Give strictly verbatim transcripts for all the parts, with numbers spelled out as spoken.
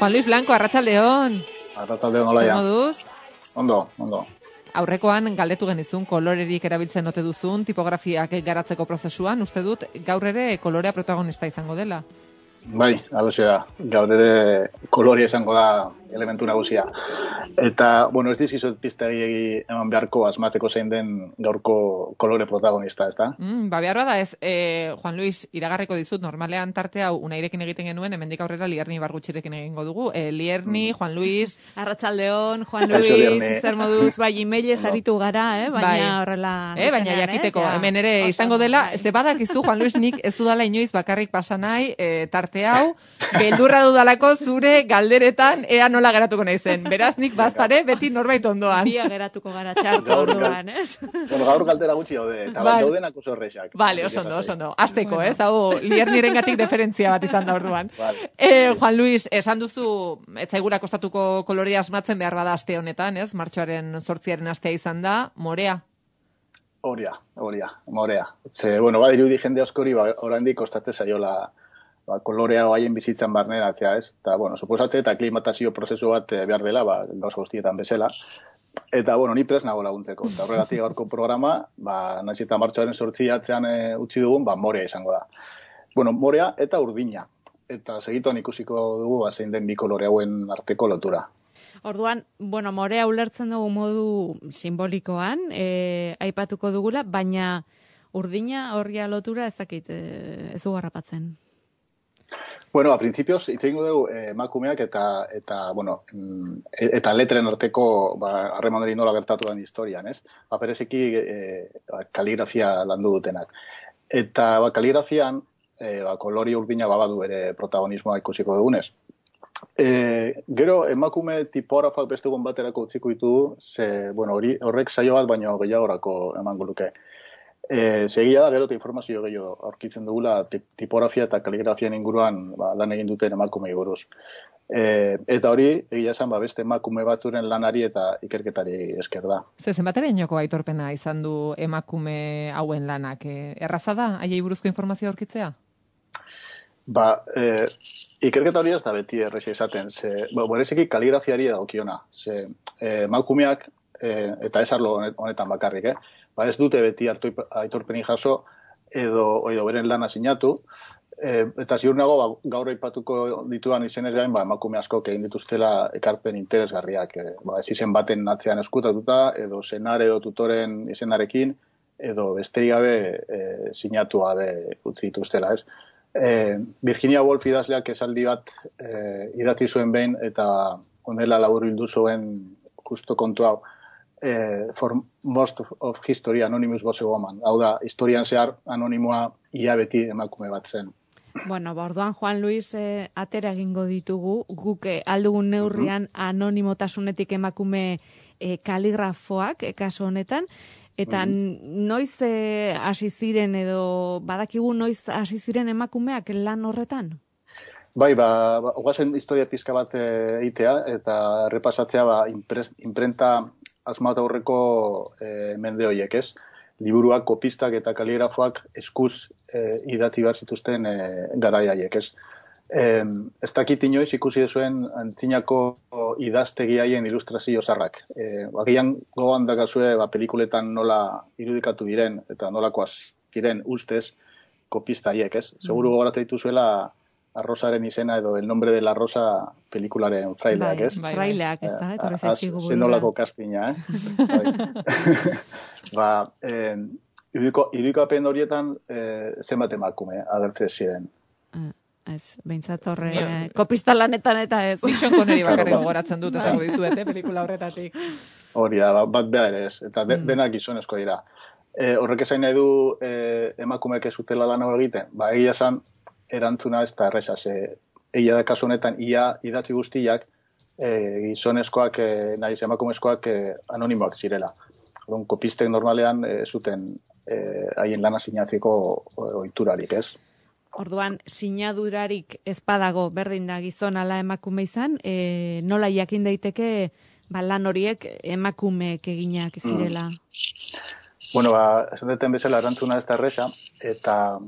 Juan Luis Blanco, arratsaldeon. Arratsaldeon, Olaia. Moduz? Ondo, ondo. Aurrekoan galdetu genizun kolorerik erabiltzen ote duzun tipografiak garatzeko prozesuan, uste dut gaur ere kolorea protagonista izango dela. Bai, halaxe da. Gaur ere kolorea izango da elementu nagusia. Eta, bueno, ez dizkizut pista gehiegi eman beharko asmatzeko zein den gaurko kolore protagonista, ez da? Mm, ba, behar bada ez, e, Juan Luis, iragarriko dizut, normalean tarte hau unairekin egiten genuen, hemendik aurrera Lierni Bargutxirekin egingo dugu. E, Lierni, mm. Juan Luis... Arratsaldeon, Juan Luis, zer moduz, bai, emailez aritu gara, eh? baina bai. Horrela... Eh, baina jakiteko, eh? Hemen ere oso, izango dela, ez badakizu, Juan Luis, nik ez dudala inoiz bakarrik pasa nahi, e, tarte hau, beldurra dudalako zure galderetan ea nola geratuko naizen. Beraz, nik bazpare beti norbait ondoan. Bia geratuko gara txarto orduan, ez? Bueno, gaur galdera gutxi daude, eta bat daudenak oso horrexak. Vale, oso ondo, oso ondo. Azteko, ez? Hau, Liernirengatik diferentzia bat izan da orduan. Vale. Eh, Juan Luis, esan duzu, etzaigura kostatuko kolorea asmatzen behar bada aste honetan, ez? Martxoaren zortziaren astea izan da, morea. Horia, horia, morea. Ze, bueno, badirudi jende askori, ba, oraindik kostatzen zaiola ba, kolorea haien bizitzan barneratzea, ez? Eta, bueno, suposatze eta klimatazio prozesu bat behar dela, ba, gauza guztietan bezala. Eta, bueno, ni prest nago laguntzeko. Eta horregatik gaurko programa, ba, nahiz eta martxoaren sortziatzean e, utzi dugun, ba, morea izango da. Bueno, morea eta urdina. Eta segituan ikusiko dugu, ba, zein den bi kolore hauen arteko lotura. Orduan, bueno, morea ulertzen dugu modu simbolikoan, e, aipatuko dugula, baina urdina horria lotura ezakit, e, ez du garrapatzen. Bueno, a principios itzengo dugu emakumeak eta eta bueno, eta letren arteko ba harreman hori nola gertatu den historian, ez? Ba bereziki e, kaligrafia landu dutenak. Eta ba kaligrafian e, ba kolori urdina babadu ere protagonismoa ikusiko dugunez. E, gero emakume tipografak beste egun baterako utziko ditu, ze bueno, hori horrek saio bat baino gehiagorako emango luke. E, segia da, gero eta informazio gehiago aurkitzen dugula tipografia eta kaligrafian inguruan ba, lan egin duten emakume buruz. E, eta hori, egia esan, ba, beste emakume batzuren lanari eta ikerketari esker da. Ze zenbaterainoko aitorpena izan du emakume hauen lanak? E, erraza da, haiei buruzko informazio aurkitzea? Ba, e, ikerketa hori ez da beti errexea izaten. Ze, ba, bereziki kaligrafiari dagokiona. Ze, e, emakumeak, e, eta ez arlo honetan bakarrik, eh? Ba ez dute beti hartu aitorpeni jaso edo edo beren lana sinatu, e, eta ziur nago ba, gaur aipatuko ditudan izenean ba emakume askok egin dituztela ekarpen interesgarriak, e, ba ez izen baten atzean eskutatuta edo senar edo tutoren izenarekin edo besterik gabe e, sinatu gabe utzi dituztela, ez? E, Virginia Woolf idazleak esaldi bat e, idatzi zuen behin eta honela laburbildu zuen justo kontu hau. Eh, for most of history anonymous was a woman. Hau da, historian zehar anonimoa ia beti emakume bat zen. Bueno, ba, orduan Juan Luis eh, atera egingo ditugu, guk eh, aldugun neurrian uh-huh. anonimotasunetik emakume eh, kaligrafoak, eh, kasu honetan, eta uh-huh. noiz hasi eh, ziren edo badakigu noiz hasi ziren emakumeak lan horretan? Bai, ba, ba ogazen historia pizka bat egitea eta repasatzea ba, impres, imprenta asmatu aurreko e, mende horiek, ez? Liburuak, kopistak eta kaligrafoak eskuz e, idatzi behar zituzten e, garai haiek, ez? E, ez dakit inoiz ikusi dezuen antzinako idaztegi haien ilustrazio zarrak. E, Bagian gogoan dakazue ba, pelikuletan nola irudikatu diren eta nolakoaz ziren ustez kopista haiek, ez? Seguru gogoratzen dituzuela Arrosaren izena edo El nombre de la rosa pelikularen fraileak, ez? Bai, fraileak, ez da, etorri zaizkigu burura. Zenolako kastina, eh? ba, eh, irudikapen horietan eh, zenbat emakume agertzen ziren. Uh, ez, behintzat horre, eh, kopista lanetan eta ez. Nixon Connery bakarrik gogoratzen dut, esango dizuet, eh, pelikula horretatik. Hori da, bat behar ere ez, eta de, mm. denak gizonezko dira. Eh, horrek esain nahi du eh, emakumeek ez utela lan egiten, ba, egia esan, erantzuna ez da erreza, ze egia da kasu honetan ia idatzi guztiak e, gizonezkoak, e, nahiz emakumezkoak e, anonimoak zirela. Orduan, kopistek normalean e, zuten haien e, lana sinatzeko ohiturarik, ez? Orduan, sinadurarik ez badago berdin da gizon ala emakume izan, e, nola jakin daiteke ba, lan horiek emakumeek eginak zirela? Mm. Bueno, ba, esan deten bezala erantzuna ez da erreza, eta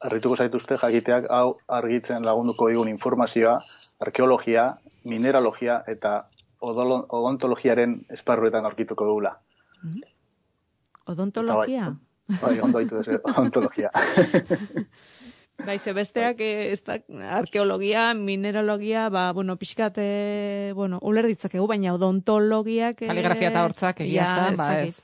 harrituko zaituzte jakiteak hau argitzen lagunduko digun informazioa, arkeologia mineralogia eta odolo, odontologiaren esparruetan aurkituko dugula. Odontologia? Bai, bai, ondo haitu ez, odontologia. Bai, ze besteak eh, ez da, arkeologia, mineralogia, ba, bueno, pixkat, eh, bueno, uler ditzakegu, baina odontologiak... Eh, Kaligrafia eta hortzak egia esan, ba ez.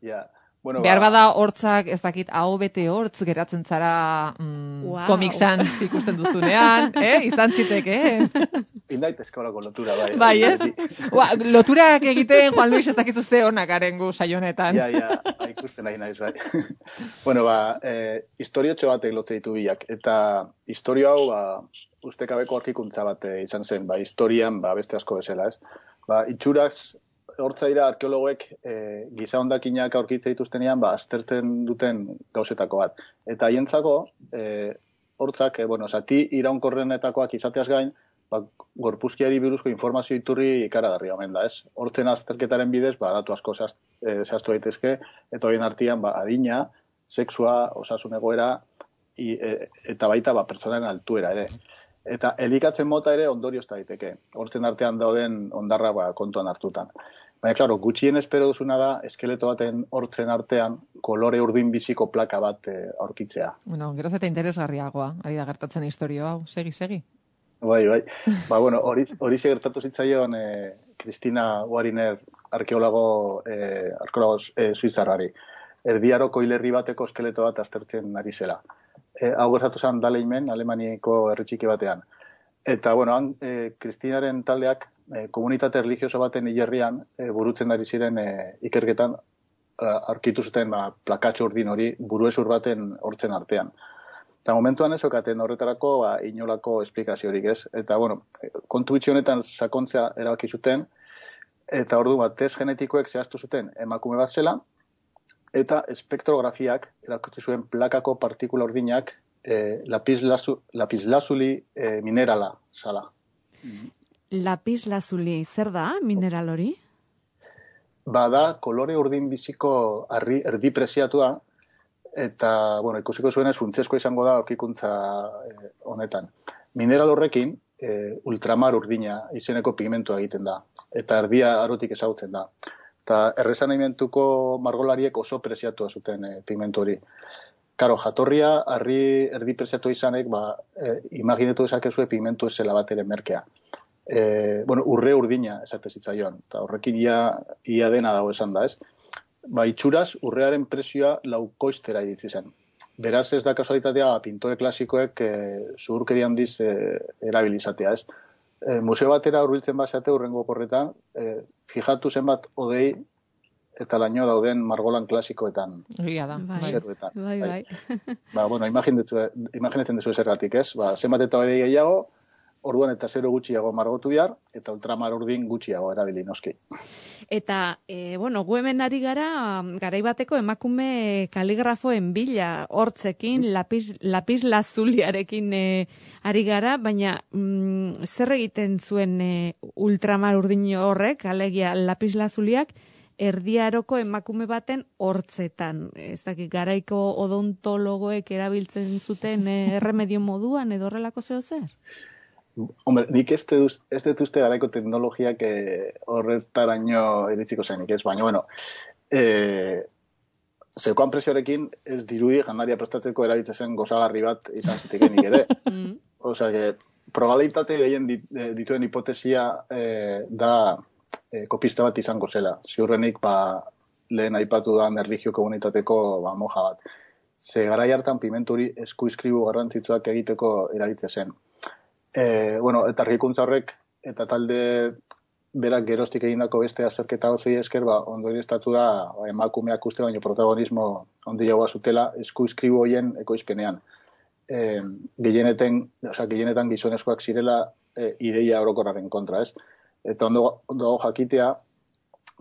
Ja, bueno, behar ba, bada hortzak, ez dakit, hau bete hortz geratzen zara mm, Wow. komiksan ikusten duzunean, eh? Izan ziteke, eh? Indait eskolako lotura, bai. Bai, ez? Ua, loturak egiten, Juan Luis, ez dakizu ze honak garen gu saionetan. Ja, ja, ikusten nahi naiz, bai. Bueno, ba, eh, historiotxo batek lotze ditu bilak, eta historio hau, ba, ustekabeko aurkikuntza bat eh, izan zen, ba, historian, ba, beste asko bezala, ez? Ba, itxuraz, hortza dira arkeologoek eh, giza hondakinak aurkitze dituztenean, ba, aztertzen duten gauzetako bat. Eta haientzako, eh, hortzak, eh, bueno, zati iraunkorrenetakoak izateaz gain, ba, gorpuzkiari buruzko informazio iturri ikaragarri omen da, ez? Hortzen azterketaren bidez, ba, datu asko zehaztu eh, zehaztu daitezke, eta horien artean, ba, adina, sexua, osasun egoera, i, e, eta baita, ba, pertsonaren altuera ere. Eta elikatzen mota ere ondorioz daiteke. Hortzen artean dauden ondarra, ba, kontuan hartutan. Baina, klaro, gutxien espero duzuna da, eskeleto baten hortzen artean, kolore urdin biziko plaka bat eh, aurkitzea. Bueno, geroz eta interesgarriagoa, ari da gertatzen historio hau. Segi, segi. Bai, bai. Ba, bueno, hori hori gertatu zitzaion eh, Cristina Wariner arkeologo, eh, arkeologo eh, suizarrari. Erdiaroko hilerri bateko eskeleto bat aztertzen ari zela. Eh, hau gertatu zen Daleimen, Alemaniako herri txiki batean. Eta, bueno, han, eh, Kristinaren taldeak eh, komunitate religioso baten hilerrian eh, burutzen ari ziren eh, ikerketan eh, aurkitu zuten ba, plakatxo urdin hori buruezur baten hortzen artean. Eta momentuan ez okaten horretarako ba, inolako esplikaziorik ez. Eta, bueno, kontu bitxi honetan sakontzea erabaki zuten, eta ordu bat, test genetikoek zehaztu zuten emakume bat zela, eta espektrografiak erakutsi zuen plakako partikula urdinak eh, lapislazu, lapislazuli eh, minerala zala. Lapislazuli, zer da mineral hori? Bada, kolore urdin biziko arri, erdi preziatua, eta, bueno, ikusiko zuenez funtsezkoa izango da aurkikuntza eh, honetan. Mineral horrekin, eh, ultramar urdina izeneko pigmentua egiten da, eta erdia arotik ezagutzen da. Eta erresanaimentuko margolariek oso preziatua zuten eh, pigmentu hori. Karo, jatorria, arri erdi preziatua izanek, ba, eh, imaginetu dezakezue pigmentu ezela bat ere merkea. Eh, bueno, urre urdina esate zitzaion, eta horrekin ia, ia dena dago esan da, ez? Ba, itxuraz, urrearen prezioa laukoiztera iritsi zen. Beraz, ez da kasualitatea, pintore klasikoek e, zuhurkeri handiz e, erabilizatea, ez? E, museo batera hurbiltzen basate urrengo oporretan, e, fijatu zenbat odei eta laino dauden margolan klasikoetan. Egia da, bai. Zeruetan. Bai, bai. Ba, bueno, imaginatzen duzu zergatik, ez? Ba, zenbat eta odei gehiago, orduan eta zero gutxiago margotu behar, eta ultramar urdin gutxiago erabili noski. Eta, e, bueno, gu hemen ari gara, garaibateko emakume kaligrafoen bila, hortzekin, lapis, lapis lazuliarekin e, ari gara, baina mm, zer egiten zuen e, ultramar urdin horrek, alegia lapis lazuliak, erdiaroko emakume baten hortzetan. Ez dakit, garaiko odontologoek erabiltzen zuten e, erremedio moduan edo horrelako zeo zer? Hombre, nik ez dut ez uste garaiko teknologiak eh, horretaraino iritziko zenik, ez? Baina, bueno, eh, zeukoan presioarekin ez dirudi jandaria prestatzeko erabiltzen zen gozagarri bat izan zitekenik ere. Mm. Osea, que probabilitate gehien dituen hipotesia eh, da eh, kopista bat izango zela. Ziurrenik, ba, lehen aipatu da erlijio komunitateko ba, moja bat. Ze garai hartan pimenturi eskuizkribu garrantzitsuak egiteko erabiltzen zen. E, bueno, eta argikuntza horrek eta talde berak geroztik egindako beste azterketa gozei esker, ba, ondorioztatu da ba, emakumeak uste baino protagonismo handiagoa zutela eskuizkribu hoien ekoizpenean. E, gehienetan, oza, gehienetan gizonezkoak zirela e, ideia orokorraren kontra, ez? Eta ondo, ondo jakitea,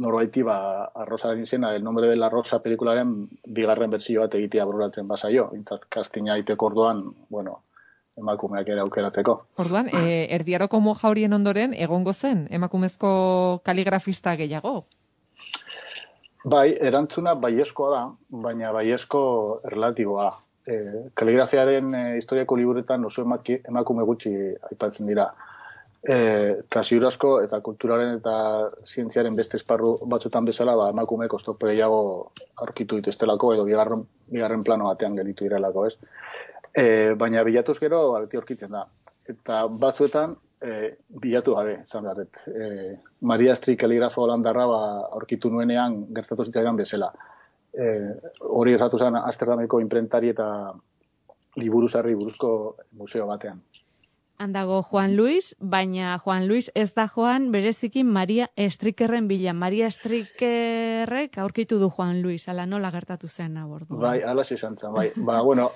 norbaiti, ba, Arrosaren izena, El nombre de la Rosa pelikularen bigarren berzio bat egitea bururatzen basaio. Intzat, kastina iteko orduan, bueno, emakumeak ere aukeratzeko. Orduan, e, erdiaroko moja horien ondoren egongo zen emakumezko kaligrafista gehiago? Bai, erantzuna baiezkoa da, baina baiezko erlatiboa. E, kaligrafiaren e, historiako liburetan oso emaki, emakume gutxi aipatzen dira. eta ziurazko eta kulturaren eta zientziaren beste esparru batzutan bezala, ba, emakumeek oztopo gehiago aurkitu dituztelako edo bigarren, bigarren plano batean gelitu direlako, ez? E, baina bilatuz gero, ba, beti aurkitzen da. Eta batzuetan, e, bilatu gabe, zan beharret. E, Maria Strik kaligrafo holandarra ba, aurkitu nuenean gertatu zitzaidan bezala. E, hori esatu zen Amsterdameko imprentari eta liburuzarri buruzko museo batean. Handago Juan Luis, baina Juan Luis ez da joan bereziki Maria Strikerren bila. Maria Strikerrek aurkitu du Juan Luis, ala nola gertatu zen abordu. Bai, ala izan zen, bai. Ba, bueno,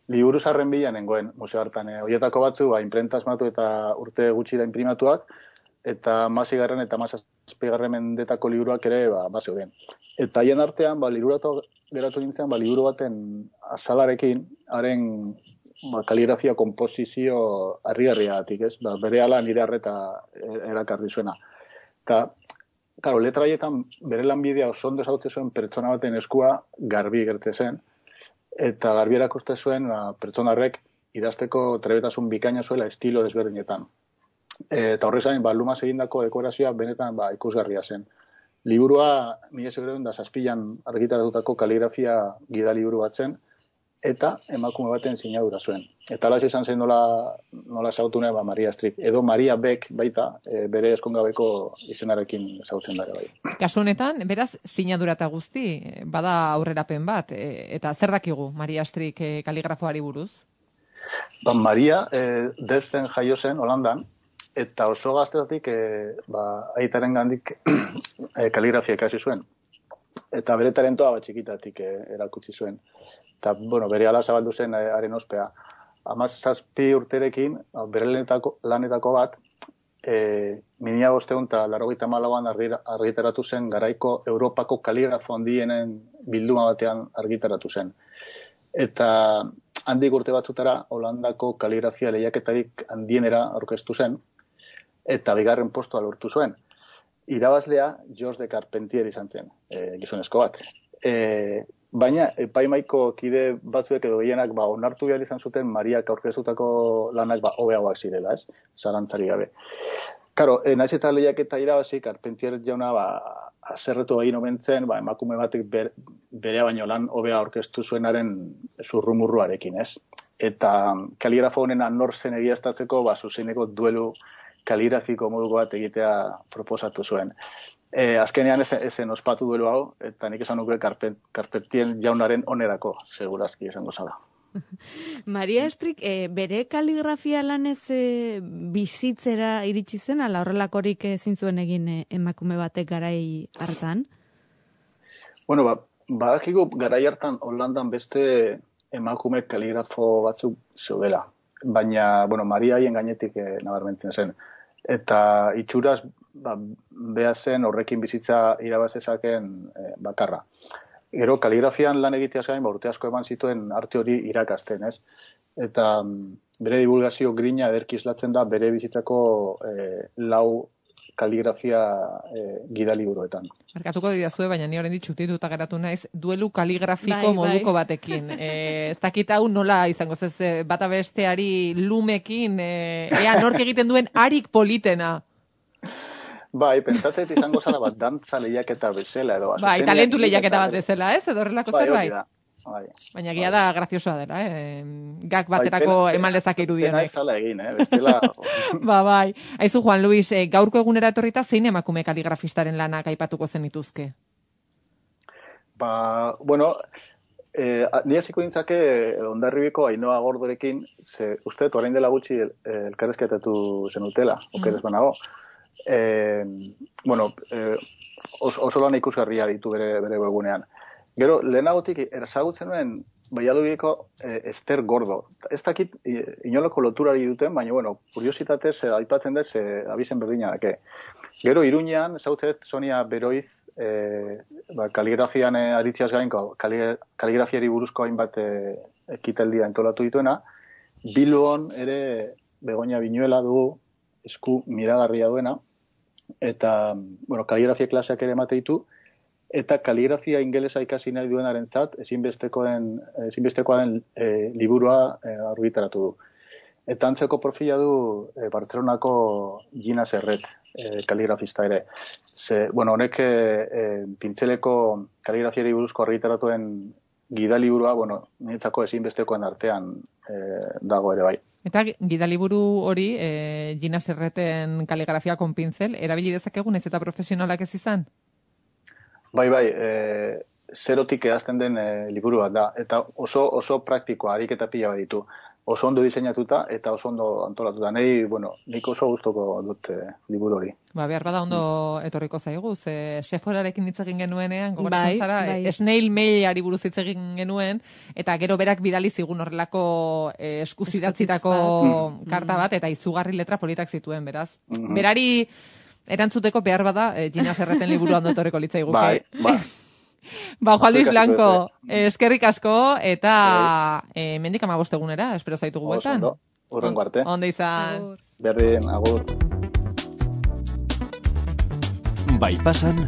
liburuzarren bila nengoen museo hartan. Eh? Horietako batzu, ba, imprenta asmatu eta urte gutxira imprimatuak, eta masigarren eta mazazpigarren mendetako liburuak ere, ba, ba zeuden. Eta haien artean, ba, liburatu geratu nintzen, ba, liburu baten azalarekin, haren ba, kaligrafia komposizio harri-harriagatik, ez? Ba, bere ala nire arreta erakarri zuena. Eta, karo, letra haietan bere lanbidea oso ondo ezagutzen zuen pertsona baten eskua garbi gertze zen, eta garbi erakuste zuen ba, pertsona horrek idazteko trebetasun bikaina zuela estilo desberdinetan. E, eta horrez gain, ba, lumaz egindako dekorazioa benetan ba, ikusgarria zen. Liburua, mila seiehun eta zazpian argitaratutako kaligrafia gidaliburu bat zen, eta emakume baten sinadura zuen. Eta ala izan zen nola, nola zautu ba, Maria Strik. Edo Maria Beck baita, e, bere eskongabeko izenarekin zautzen dara bai. Kasu honetan, beraz, sinadura eta guzti, bada aurrerapen bat, e, eta zer dakigu Maria Strik e, kaligrafoari buruz? Ba, Maria e, Delften jaio zen Holandan, eta oso gaztetatik e, ba, aitaren gandik e, kaligrafia ikasi zuen. Eta bere talentoa bat txikitatik e, erakutsi zuen. Eta, bueno, bere ala zabaldu zen haren ospea. Hamazazpi urterekin, bere lanetako, lanetako bat, e, mila bosteun eta laurogeita hamalauan argitaratu zen garaiko Europako kaligrafo handienen bilduma batean argitaratu zen. Eta handik urte batzutara, Holandako kaligrafia lehiaketarik handienera aurkeztu zen, eta bigarren postua lortu zuen. Irabazlea George de Carpentier izan zen, e, gizonezko bat. E, baina epaimaiko kide batzuek edo gehienak ba, onartu behar izan zuten Mariak aurkeztutako lanak ba, hobeagoak zirela, ez? Zalantzari gabe. Karo, e, naiz eta lehiaketa irabazi, Carpentier jauna ba, azerretu egin omen zen, ba, emakume batek ber, berea baino lan hobea aurkeztu zuenaren zurrumurruarekin, ez? Eta kaligrafo honen nor zen egiaztatzeko, ba, zuzeneko duelu kaligrafiko moduko bat egitea proposatu zuen. E, azkenean ezen ospatu duelu hau, eta nik esan nuke Carpentier jaunaren onerako, segurazki esango zala. Maria Strik, e, bere kaligrafia lanez e, bizitzera iritsi zen, ala horrelakorik ezin zuen egin e, emakume batek garai hartan? Bueno, ba, badakigu garai hartan Holandan beste emakume kaligrafo batzuk zeudela. Baina, bueno, Maria haien gainetik e, nabarmentzen zen. Eta itxuraz, ba, beha zen horrekin bizitza irabazezaken e, bakarra. Gero, kaligrafian lan egiteaz gain, ba, urte asko eman zituen arte hori irakasten, ez? Eta bere divulgazio grina ederki islatzen da bere bizitzako e, lau kaligrafia e, gidaliburuetan. Markatuko didazue, baina ni oraindik txutituta geratu naiz, duelu kaligrafiko bai, moduko bai. batekin. E, ez dakit hau nola izango zez, bata besteari lumekin, e, ea nork egiten duen arik politena. Bai, pentsatzet izango zara bat dantza lehiaketa bezala edo. Bai, talentu lehiaketa bat bezala, ez? Edo horrelako bai, zerbait. Bai. Baina gira da graziosoa dela, eh? Gak baterako bai, eman lezak irudienek. Pena izala egin, eh? Bestela... ba, bai. Aizu, Juan Luis, eh, gaurko egunera etorrita zein emakume kaligrafistaren lanak aipatuko zenituzke? Ba, bueno, eh, nire ziko nintzake Hondarribiko Ainhoa Gordorekin, ze uste, orain dela gutxi elkarrezketatu zenutela, mm. okeres banago. Eh, bueno, eh, os, oso lan ikusgarria ditu bere, bere webgunean. Gero, lehenagotik erzagutzen nuen Baialudiko eh, Ester Gordo. Ez dakit inolako loturari duten, baina, bueno, kuriositatez eh, aipatzen dut, eh, abizen berdina dake. Gero, Iruñean, zautzet, Sonia Beroiz, eh, ba, kaligrafian eh, aritziaz gainko, kaligrafiari buruzko hainbat eh, ekitaldia entolatu dituena. Bilbon ere Begoña Viñuela dugu, esku miragarria duena, eta, bueno, kaligrafia klaseak ere emate ditu, eta kaligrafia ingelesa ikasi nahi duenarentzat ezinbestekoen ezinbestekoa den e, liburua e, argitaratu du. Eta antzeko profila du e, Bartzelonako Gina Serret, e, kaligrafista ere. Ze, bueno, honek e, pintzeleko kaligrafiari buruzko argitaratuen gidaliburua, bueno, niretzako ezinbestekoen artean e, dago ere bai. Eta gidaliburu hori, e, Gina Serreten kaligrafia kon pintzel, erabili dezakegun ez eta profesionalak ez izan? Bai, bai, e, zerotik ehazten den e, liburu bat da, eta oso oso praktikoa, ariketa pila bat ditu. Oso ondo diseinatuta eta oso ondo antolatuta. Nei, bueno, nik oso gustoko dut e, liburu hori. Ba, behar bada ondo mm. etorriko zaigu, ze Sephorarekin hitz egin genuenean, gogoratzen bai, zara, bai. snail mailari buruz hitz egin genuen, eta gero berak bidali zigun horrelako e, eskuzidatzitako karta bat, eta izugarri letra politak zituen, beraz. Mm-hmm. Berari erantzuteko behar bada, e, Gina Serreten liburu ondo etorriko litzaiguke. Bai, bai. Ba, Juan Luis Blanco, eskerrik asko, eta e, mendik amabost egunera, espero zaitugu bueltan. Ondo, urrengo arte. Ondo izan. Berdin, agur. Bai pasan.